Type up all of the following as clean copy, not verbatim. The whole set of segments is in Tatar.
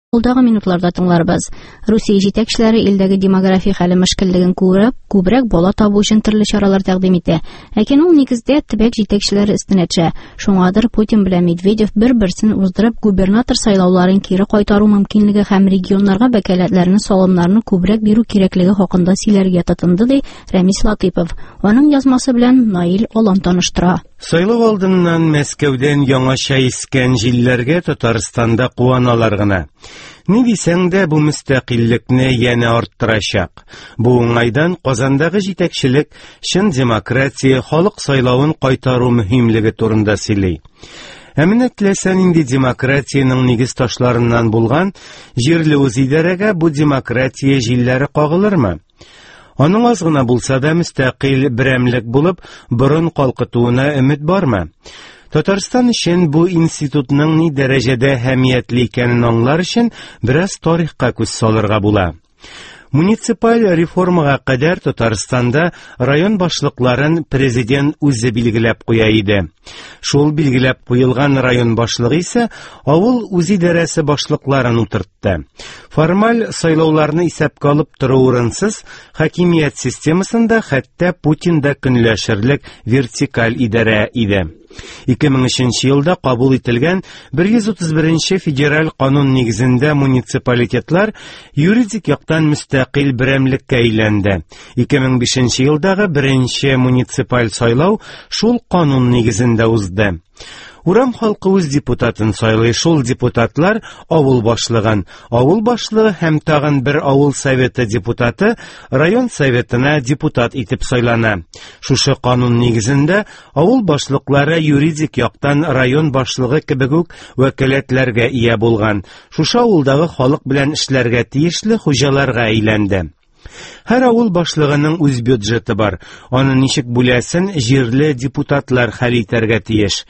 Алдагы минутларда тыңларбыз. Русия җитәкчеләре илдәге демография хәле мөшкеллеген күреп, күбрәк бала табу өчен төрле чаралар тәкъдим итә. Ләкин ул нигездә төбәк җитәкчеләре өстенә төшә. Шуңадыр Путин белән Медведев бер-берсен уздырып губернатор сайлауларын кире кайтару мөмкинлеге һәм регионнарга вәкаләтләрне, салымнарны күбрәк бирү кирәклеге хакында сөйләргә тотынды, ди Рәмис Латыйпов. Аның язмасы белән Наил Алан таныштыра. Сайлау алдыннан Мәскәүдән яңача искән җилләргә Татарстанда куаналар гына. Ни дисәң дә, бу мөстәкыйльлекне янә арттырачак. Бу уңайдан Казандагы җитәкчелек чын демократия, халык сайлавын кайтару мөһимлеге турында сөйли. Ә менә теләсә нинди демократиянең нигез ташларыннан булган җирле үзидарәгә бу демократия җилләре кагылырмы? Аның аз гына булса да мөстәкыйль берәмлек булып, борын калкытуына өмет бармы? Татарстан өчен бу институтның ни дәрәҗәдә әһәмиятле икәнен аңлар өчен бераз тарихка күз салырга була. Муниципаль реформага кадәр Татарстанда район башлыкларын президент үзе билгеләп куя иде. Шул билгеләп куелган район башлыгы исә авыл үзидарәсе башлыкларын утыртты. Формаль сайлауларны исәпкә алып тору урынсыз, хакимият системасында хәтта Путин да көнләшерлек вертикаль идарә иде. 2003 елда кабул ителгән 131 федераль канун нигезендә муниципалитетлар юридик яктан мөстәкыйль берәмлеккә әйләнде. 2005 елдагы беренче муниципаль сайлау шул канун нигезендә узды. Урам халкы үз депутатын сайлый, шул депутатлар авыл башлыгын, авыл башлыгы һәм тагын бер авыл советы депутаты район советына депутат итеп сайлана. Шушы канун нигезендә авыл башлыклары юридик яктан район башлыгы кебек үк вәкаләтләргә ия булган, шушы авылдагы халык белән эшләргә тиешле хуҗаларга әйләнде. Һәр авыл башлыгының үз бюджеты бар. Аны ничек бүләсен җирле депутатлар хәл итәргә тиеш.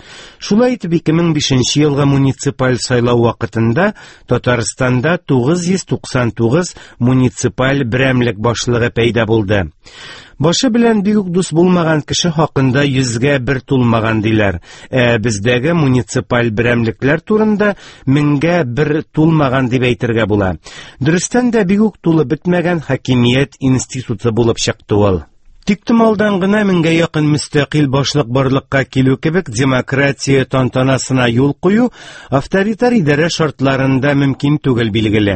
Шулай итеп 2005 елгы муниципаль сайлау вакытында Татарстанда 999 муниципаль берәмлек башлыгы пәйда булды. Башы белән бик үк дус булмаган кеше хакында йөзгә бер тулмаган диләр. Ә бездәге муниципаль берәмлекләр турында меңгә бер тулмаган дип әйтергә була. Дөрестән дә бик үк тулы бетмәгән хакимият институты булып чыкты ул. Тиктомалдан гына меңгә якын мөстәкыйль башлык барлыкка килү кебек демократия тантанасына юл кую авторитар идарә шартларында мөмкин түгел билгеле.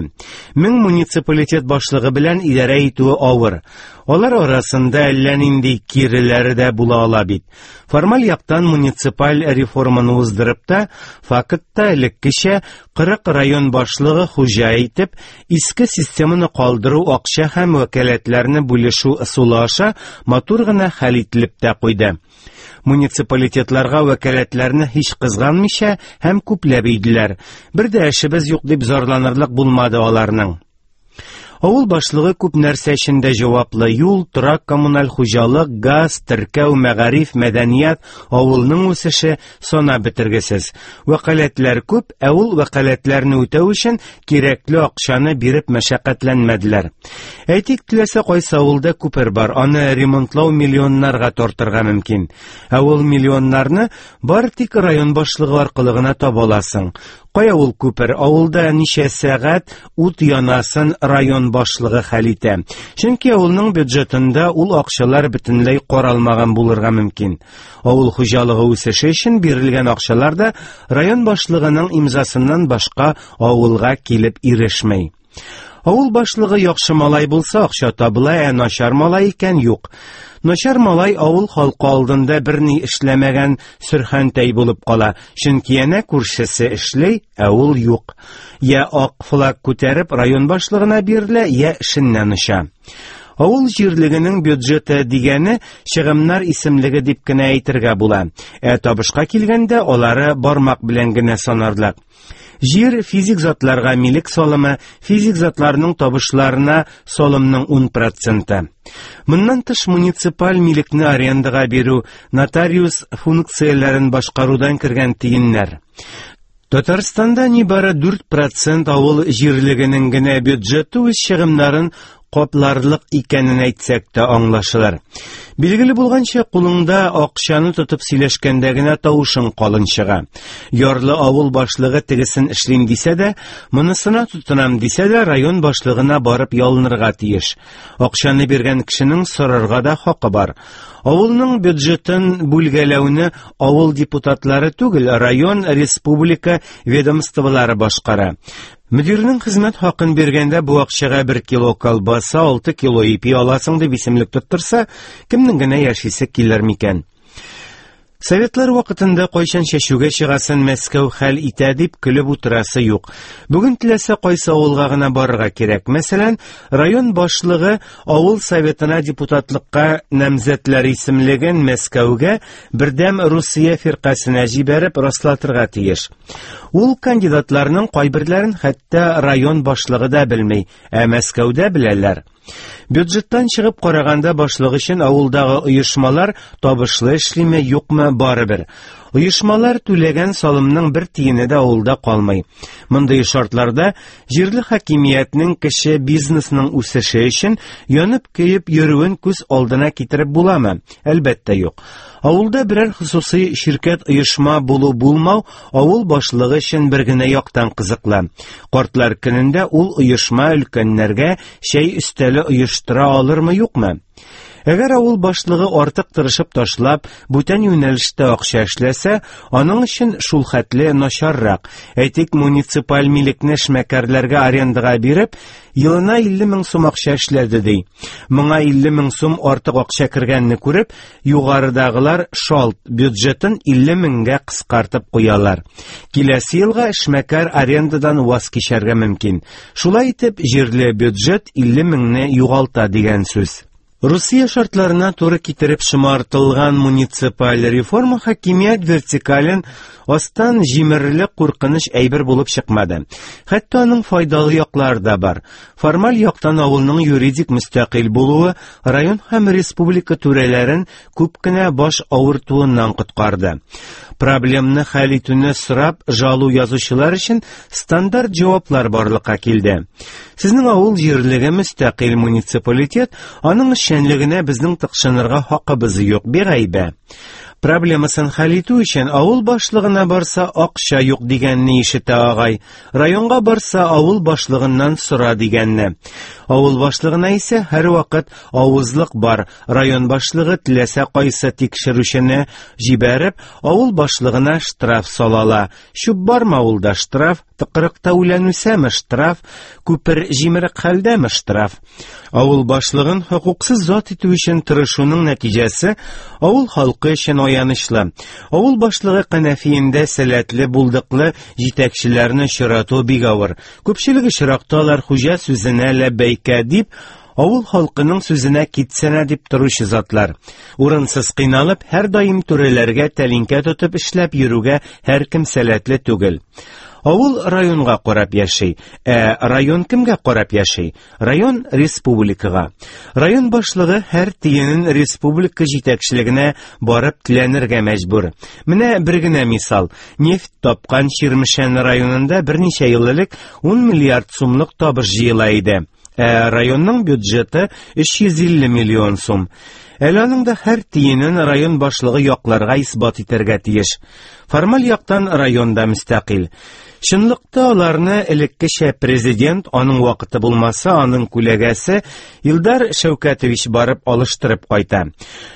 Мең муниципалитет башлыгы белән идарә итүе авыр. Алар арасында әллә нинди киреләре дә була ала бит. Формаль яктан муниципаль реформаны уздырып та, фактта элеккечә 40 район башлыгы хуҗа итеп, иске системаны калдыру акча һәм вәкаләтләрне бүлешү ысулы аша матур гына хәл ителеп тә куйды. Муниципалитетларга вәкаләтләрне һич кызганмыйча һәм күпләп өйделәр. Бер дә эшебез юк дип зарланырлык булмады аларның. Авыл башлыгы күп нәрсә өчен дә җаваплы: юл, торак, коммуналь хуҗалык, газ, теркәү, мәгариф, мәдәният, авылның үсеше санап бетергесез. Вәкаләтләр күп, ә ул вәкаләтләрне үтәү өчен кирәкле акчаны биреп мәшәкатьләнмәделәр. Әйтик, теләсә кайсы авылда күпер бар, аны ремонтлау миллионнарга тартырга мөмкин. Ә ул миллионнарны бары тик район башлыгы аркылы гына таба аласың. Кая ул күпер? Авылда ничә сәгать ут янасын район башлыгы хәл итә. Чөнки авылның бюджетында ул акчалар бөтенләй каралмаган булырга мөмкин. Авыл хуҗалыгы үсеше өчен бирелгән акчалар да район башлыгының имзасыннан башка авылга килеп ирешми. Авыл башлыгы яхшы малай булса, акча табыла, ә начар малай икән юк. Начар малай авыл халкы алдында берни эшләмәгән сөрхәнтәй булып кала, чөнки әнә күршесе эшли, ә ул юк. Я ак флаг күтәреп район башлыгына бирелә, я эшеннән оча. Авыл җирлегенең бюджеты дигәне чыгымнар исемлеге дип кенә әйтергә була. Ә табышка килгәндә, алары бармак белән генә санарлык. Җир физик затларга милек салымы, физик затларның табышларына салымның 10 проценты. Моннан тыш муниципаль милекне арендага бирү, нотариус функцияләрен башкарудан кергән тиеннәр. Татарстанда нибары 4% авыл җирлегенең генә бюджеты үз чыгымнарын капларлык икәнен әйтсәк тә аңлашылыр. Билгеле булганча, кулыңда акчаны тотып сөйләшкәндә генә тавышың калын чыга. Ярлы авыл башлыгы тегесен эшлим дисә дә, монысына тотынам дисә дә, район башлыгына барып ялынырга тиеш. Акчаны биргән кешенең сорарга да хакы бар. Авылның бюджетын бүлгәләүне авыл депутатлары түгел, район, республика ведомстволары башкара. Мөдирнең хезмәт хакын биргәндә бу акчага 1 кило колбаса, 6 кило ипи аласың дип исемлек тоттырса, кемнең генә яшисе килер микән? Советлар вакытында кайчан чәчүгә чыгасын Мәскәү хәл итә дип көлеп утырасы юк. Бүген теләсә кайсы авылга гына барырга кирәк. Мәсәлән, район башлыгы авыл советына депутатлыкка намзәтләр исемлеген Мәскәүгә Бердәм Русия фиркасенә җибәреп раслатырга тиеш. Ул кандидатларның кайберләрен хәтта район башлыгы да белми, ә Мәскәүдә беләләр. Бюджеттан чыгып караганда башлык өчен авылдагы оешмалар табышлы эшлиме, юкмы, барыбер. Оешмалар түләгән салымның бер тиене дә авылда калмый. Мондый шартларда җирле хакимиятнең кече бизнесның үсеше өчен янып-көеп йөрүен күз алдына китереп буламы? Әлбәттә, юк. Авылда берәр хосусый ширкәт оешма булу-булмау авыл башлыгы өчен бер генә яктан кызыклы. Картлар көнендә ул оешма өлкәннәргә чәй өстәле оештыра алырмы, юкмы? Әгәр авыл башлыгы артык тырышып ташлап, бүтән юнәлештә акча эшләсә, аның өчен шул хәтле начаррак. Әйтик, муниципаль милекне эшмәкәрләргә арендага биреп, елына 50 мең сум акча эшләде ди. Моңа 50 мең сум артык акча кергәнне күреп, югарыдагылар шалт бюджетын 50 меңгә кыскартып куялар. Киләсе елга эшмәкәр арендадан ваз кичәргә мөмкин. Шулай итеп, җирле бюджет 50 меңне югалта дигән сүз. Русия шартларына туры китереп шомартылган муниципаль реформа хакимият вертикален астан җимерерлек куркыныч әйбер булып чыкмады. Хәтта аның файдалы яклары да бар. Формаль яктан авылның юридик мөстәкыйль булуы район һәм республика түрәләрен күп кенә баш авыртуыннан коткарды. Проблемны хәл итүне сорап жалу язучылар өчен стандарт җаваплар барлыкка килде. Сезнең авыл җирлеге мөстәкыйль муниципалитет, аның эшчәнлегенә безнең тыкшынырга хакыбыз юк, бигайбә. Проблемасын хәл итү өчен авыл башлыгына барса акча юк дигәнне ишетә агай. Районга барса авыл башлыгыннан сора дигәнне. Авыл башлыгына исә һәрвакыт авызлык бар. Район башлыгы теләсә кайсы тикшерүчене җибәреп, авыл башлыгына штраф салала. Чүп бармы авылда штраф, тыкрыкта үлән үсәме штраф, күпер җимерек хәлдәме штраф. Авыл башлыгын хокуксыз зат итү өчен тырышуның нәтиҗәсе авыл халкы өчен аянычлы. Авыл башлыгы кәнәфиендә сәләтле, булдыклы җитәкчеләрне очрату бик авыр. Күпчелек очракта алар хуҗа сүзенә ләббәйкә дип, авыл халкының сүзенә китсәнә дип торучы затлар. Урынсыз кыйналып, һәрдаим түрәләргә тәлинкә тотып эшләп йөрүгә һәркем сәләтле түгел. Авыл районга карап яши. Ә район кемгә карап яши? Район республикага. Район башлыгы һәр тиенен республика җитәкчелегенә барып теләнергә мәҗбүр. Менә бер генә мисал. Нефть тапкан Чирмешән районында берничә ел элек 10 миллиард сумлык табыш җыела иде. Ә районның бюджеты 350 миллион сум. Әле аның да һәр тиенен район башлыгы якларга исбат итәргә тиеш. Формаль яктан район да мөстәкыйль. Чынлыкта аларны элеккечә президент, аның вакыты булмаса, аның күләгәсе Илдар Шәүкәтович барып алыштырып кайта.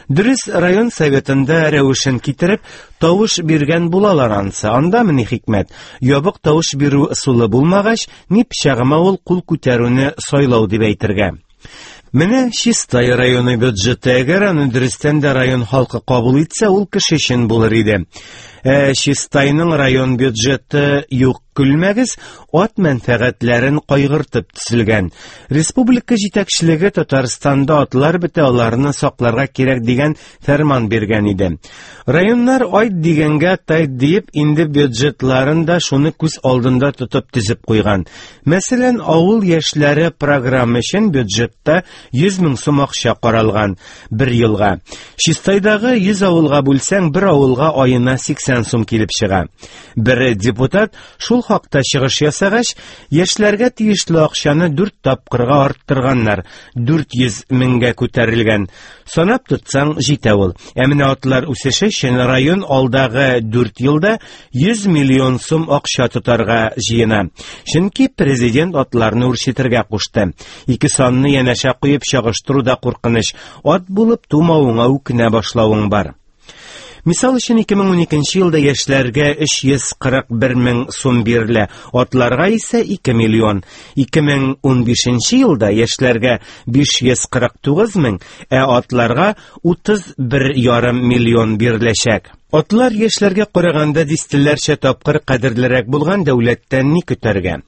Дөрес, район советында рәвешен китереп, тавыш биргән булалар ансы. Анда ни хикмәт? Ябык тавыш бирү ысулы булмагач, ни пычагыма ул кул күтәрүне сайлау дип әйтергә. Менә Чистай районы бюджеты, әгәр аны дөрестән дә район халкы кабул итсә, ул кеше өчен булыр иде. Ә Чистайның район бюджеты юк, көлмәгез, ат мәнфәгатьләрен кайгыртып төзелгән. Республика җитәкчелеге Татарстанда атлар бетә, аларны сакларга кирәк дигән фәрман биргән иде. Районнар айт дигәнгә тайт диеп, инде бюджетларын да шуны күз алдында тотып төзеп куйган. Мәсәлән, авыл яшьләре программа өчен бюджетта 100 мең сум акча каралган бер елга. Чистайдагы 100 авылга бүлсәң, бер авылга аена 80 сум килеп чыга. Бер депутат шул хакта чыгыш ясагач, яшьләргә тиешле акчаны 4 тапкырга арттырганнар, 400 меңгә күтәрелгән. Санап тотсаң, җитә ул. Ә менә атлар үсеше өчен район алдагы 4 елда 100 миллион сум акча тотарга җыена. Чөнки президент атларны үрчетергә кушты. Ике санны янәшә куеп чагыштыру да куркыныч. Ат булып тумавыңа үкенә башлавың бар. Мисал өчен, 2012 елда яшьләргә 341 мең сум бирелә, атларга исә 2 миллион. 2015 елда яшьләргә 549 мең, ә атларга 31,5 миллион биреләчәк. Атлар яшьләргә караганда дистәләрчә тапкыр кадерлерәк булган дәүләттән ни көтәргә?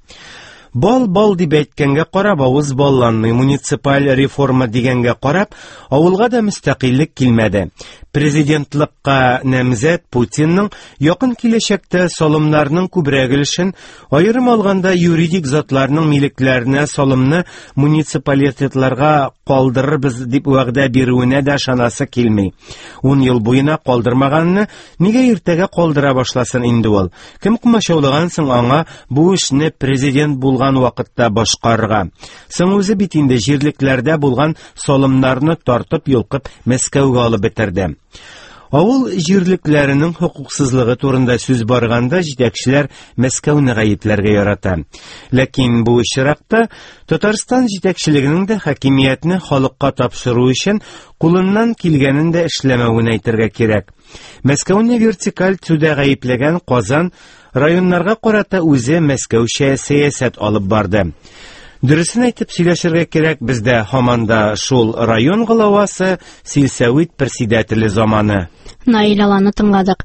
Бал-бал дип әйткәнгә карап авыз балланмый, муниципаль реформа дигәнгә карап, авылга да мөстәкыйльлек килмәде. Президентлыкка намзәт Путинның якын киләчәктә салымнарның күбрәк өлешен, аерым алганда юридик затларның милекләренә салымны муниципалитетларга калдырырбыз дип вәгъдә бирүенә дә ышанасы килми. 10 ел буена калдырмаганны нигә иртәгә калдыра башласын инде ул? Кем комачаулаган соң аңа бу эшне президент булган вакытта башкарырга? Соң үзе бит инде җирлекләрдә булган салымнарны тартып йолкып Мәскәүгә алып бетерде. Авыл җирлекләренең хокуксызлыгы турында сүз барганда җитәкчеләр Мәскәүне гаепләргә ярата. Ләкин бу очракта Татарстан җитәкчелегенең дә хакимиятне халыкка тапшыру өчен кулыннан килгәнен дә эшләмәвен әйтергә кирәк. Мәскәүне вертикаль төзүдә гаепләгән Казан районнарга карата үзе Мәскәүчә сәясәт алып барды. Дөресен әйтеп сөйләшергә кирәк, бездә һаман да шул район главасы, сельсовет председателе заманы. Наил Аланны тыңладык.